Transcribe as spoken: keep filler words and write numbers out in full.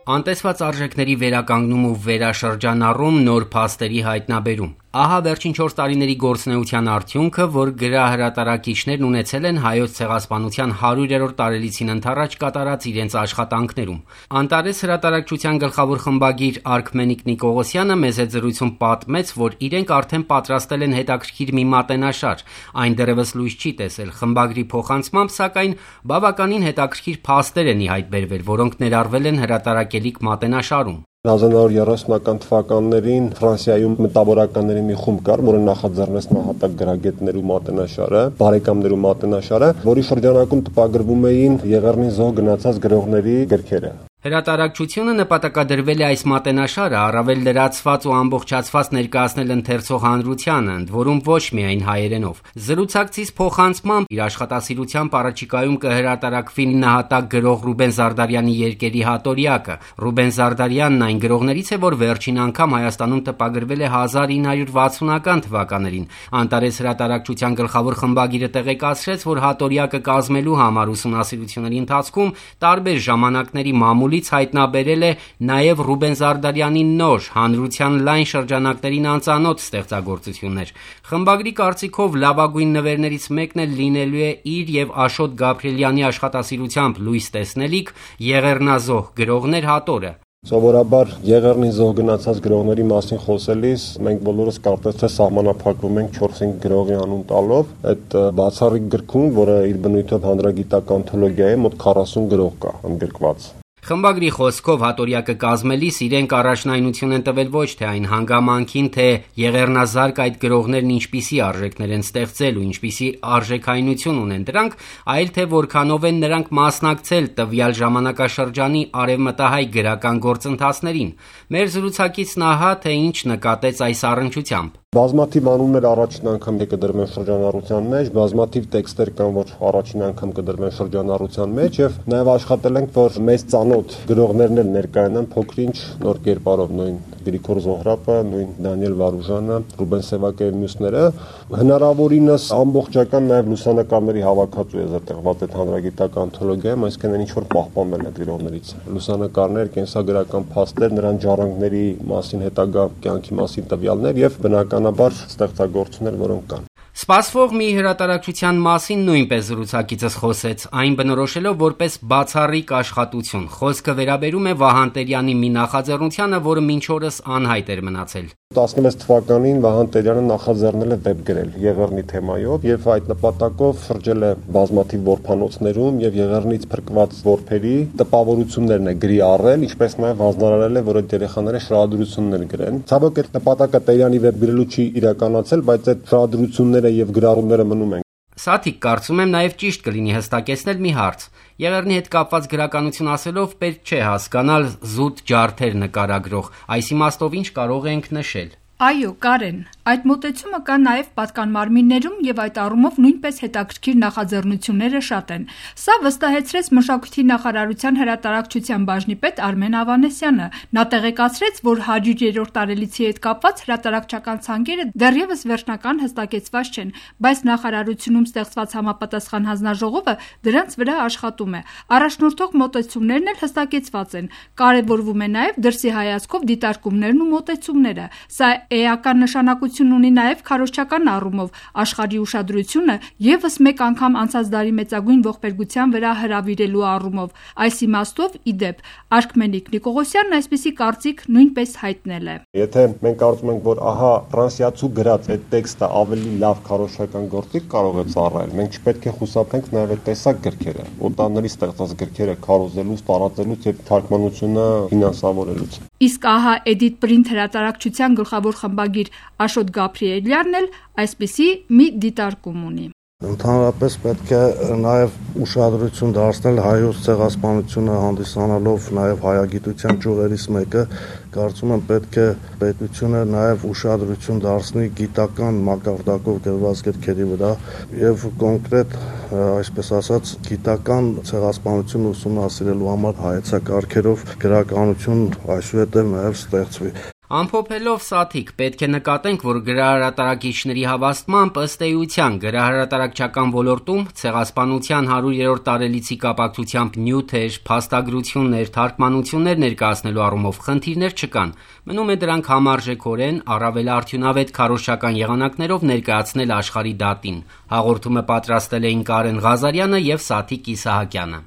Անտեսված արժեքների վերականգնում ու վերաշրջանառում, նոր փաստերի հայտնաբերում։ Ահա վերջին չորս տարիների գործունեության արդյունքը, որ գրահրատարակիչներն ունեցել են Հայոց ցեղասպանության հարյուրերորդ տարելիցին ընդառաջ կատարած իրենց աշխատանքներում։ Անտարես հրատարակչության գլխավոր խմբագիր Արքմենիկ Նիկողոսյանը մեծ զրույցում պատմեց, որ իրենք արդեն պատրաստել են հետաքրքիր մի մատենաշար, այն դեռևս լույս չի տեսել։ Խմբագրի փոխանցմամբ, սակայն, բավականին հետաքրքիր փաստեր են ի հայտ բերվել, որոնք ներառվել են հրատարակելիք մատենաշարում։ հազար նոր երեսունական թվականներին Ֆրանսիայում մտավորականների մի խումբ կար, որը նախաձեռնեց նահատակ գրագետներու մատենաշարը, բարեկամներու մատենաշարը, որի շրջանակում տպագրվում էին Եղեռնի զոհ գնացած գրողների գրքերը։ Հրատարակչությունը նպատակադրվել է այս մատենաշարը առավել լրացված ու ամբողջացված ներկայացնել ընթերցող հանրությանը, ընդ որում ոչ միայն հայերենով։ Զրուցակցից փոխանցմամբ իր աշխատասիրությամբ առաջիկայում կհրատարակվի նահատակ գրող Ռուբեն Զարդարյանի երկերի հատորյակը։ Ռուբեն Զարդարյանն այն գրողներից է, որ վերջին անգամ Հայաստանում տպագրվել է հազար ինը հարյուր վաթսունական թվականներին։ Անտարես հրատարակչության գլխավոր խմբագիրը տեղեկացրեց, որ հատորյակը կազմելու համար ուսումնասիրությունների ընթացքում տարբեր ժամանակների մամուլի հայտնաբերել է նաև Ռուբեն Զարդարյանի նոր, հանրության լայն շրջանակներին անծանոթ ստեղծագործություններ։ Խմբագրի կարծիքով լավագույն նվերներից մեկն էլ լինելու է իր եւ Աշոտ Գաբրիելյանի աշխատասիրությամբ լույս տեսնելիք Եղեռնազոհ գրողներ հատորը։ Սովորաբար Եղեռնի զոհ գնացած գրողների մասին խոսելիս մենք բոլորս կարծես թե սահմանափակվում ենք չորս-հինգ գրողի անուն տալով, այդ բացառիկ գրքում, որը իր բնույթով հանրագիտական անթոլոգիա է, մոտ քառասուն գրող կա ընդգրկված։ Խմբագրի խոսքով հատորյակը կազմելիս իրենք առաջնայնություն են տվել ոչ թե այն հանգամանքին, թե եղեռնազարկ այդ գրողներն ինչպիսի արժեքներ են ստեղծել ու ինչպիսի արժեքայնություն ունեն դրանք, այլ թե որքանով են նրանք մասնակցել տվյալ ժամանակաշրջանի արևմտահայ գրական գործընթացներին։ Մեր զրուցակիցն ահա թե ինչ նկատեց այս առնչությամբ։ Բազմաթիվ անուններ առաջին անգամ կդրվեն շրջանառության մեջ, բազմաթիվ տեքստեր կան, որ առաջին անգամ կդրվեն շրջանառության մեջ եւ նաեւ աշխատել ենք, որ մեծ ծանոթ գրողներն էլ ներկայանան փոքրինչ նոր կերպարով, նույն Գրիգոր Զոհրաբը, նույն Դանիել Վարուժանը, Ռուբեն Սևակը եւ մյուսները, հնարավորինս ամբողջական նաեւ լուսանկարների հավաքածու է զրտեղված այդ հանրագիտական անթոլոգիայում, այսինքն ինչ որ պահպանվել է գրողներից։ Լուսանկարներ, կենսագրական փաստեր, նրանց ժառանգների մասին, հետագա կյանքի մասին տվյալներ եւ բնականաբար ստեղծագործություններ, որոնք կան։ Սպասվող մի հրատարակչության մասին նույնպես զրուցակիցս խոսեց, այն բնորոշելով որպես բացառիկ աշխատություն։ Խոսքը վերաբերում է Վահան Տերյանի մի նախաձեռնությանը, որը մինչ օրս անհայտ էր մնացել։ տասնվեց թվականին Վահան Տերյանը նախաձեռնել է վեբ գրել Եղեռնի թեմայով եւ այդ նպատակով շրջել է բազմաթիվ որփանոցներում եւ Եղեռնից փրկված որբերի տպավորություններն է գրի առել, ինչպես նաեւ հանձնարարել է, որ այդ երեխաները շահադրություններ գրեն։ Ցավոք այդ նպատակը Տերյանի վեբ գրելու չի իրականացել, բայց այդ շահադրությունները եւ գրառումները մնում են։ Սաթիկ կարծում եմ նաև ճիշտ կլինի հստակեցնել մի հարց։ Եղեռնի հետ կապված գրականություն ասելով պետք չէ հասկանալ զուտ ջարդեր նկարագրող, այս իմաստով ինչ կարող ենք նշել։ Այո, Կարեն, այդ մոտեցումը կա նաև պատկանմարմիններում եւ այդ առումով նույնպես հետաքրքիր նախաձեռնությունները շատ են։ Սա վստահեցրեց Մշակույթի նախարարության հրատարակչության բաժնի պետ Արմեն Ավանեսյանը։ Նա տեղեկացրեց, որ հարյուրերորդ տարելիցի հետ կապված հրատարակչական ցանկերը դեռևս վերջնական հստակեցված չեն, բայց նախարարությունում ստեղծված համապատասխան հանձնաժողովը դրանց վրա աշխատում է։ Առաջնորդող մոտեցումներն էլ հստակեցված են։ Կարևորվում է նաև դրսի հայացքով դիտարկումներն ու մոտեցումները։ Սա էական նշանակություն ունի նաև քարոզչական առումով աշխարհի ուշադրությունը եւս մեկ անգամ անցած դարի մեծագույն ողբերգության վրա հրավիրելու առումով։ Այս իմաստով, ի դեպ, Արքմենիկ Նիկողոսյանն այսպիսի կարծիք նույնպես հայտնել է։ Եթե մենք կարծում ենք, որ ահա ֆրանսիացու գրած այդ տեքստը ավելի լավ քարոզչական գործիք կարող է ծառայել, մենք չպետք է խուսափենք նաև այդ տեսակ գրքերը, օտարների ստեղծած գրքերը քարոզելուց, տարածելուց եւ թարգմանությունը ֆինանսավորելուց։ Իսկ ահա Edit Print հրատարակչության գլխավոր խմբագիր Աշոտ Գաբրիելյանն էլ այսպիսի մի դիտարկում ունի։ Ընդհանրապես պետք է նաև ուշադրություն դարձնել հայոց ցեղասպանությունը հանդիսանալով նաև հայագիտության ճյուղերից մեկը, կարծում եմ պետք է պետությունը նաև ուշադրություն դարձնի գիտական մակարդակով գրված գրքերի վրա եւ կոնկրետ, այսպես ասած, գիտական ցեղասպանություն ուսումնասիրելու համար հայեցակարգերով գրականություն այսուհետև նաև ստեղծվի։ Ամփոփելով Սաթիկ, պետք է նկատենք, որ գրահրատարակիչների հավաստմամբ ըստ էության գրահրատարակչական ոլորտում ցեղասպանության հարյուրերորդ տարելիցի կապակցությամբ նյութեր, փաստագրություններ, թարգմանություններ ներկայացնելու առումով խնդիրներ չկան, մնում է դրանք համարժեքորեն առավել արդյունավետ քարոզչական եղանակներով ներկայացնել աշխարհի դատին, հաղորդումը պատրաստել էին Կարեն Ղազարյանը և Սաթիկ Իսահակյանը։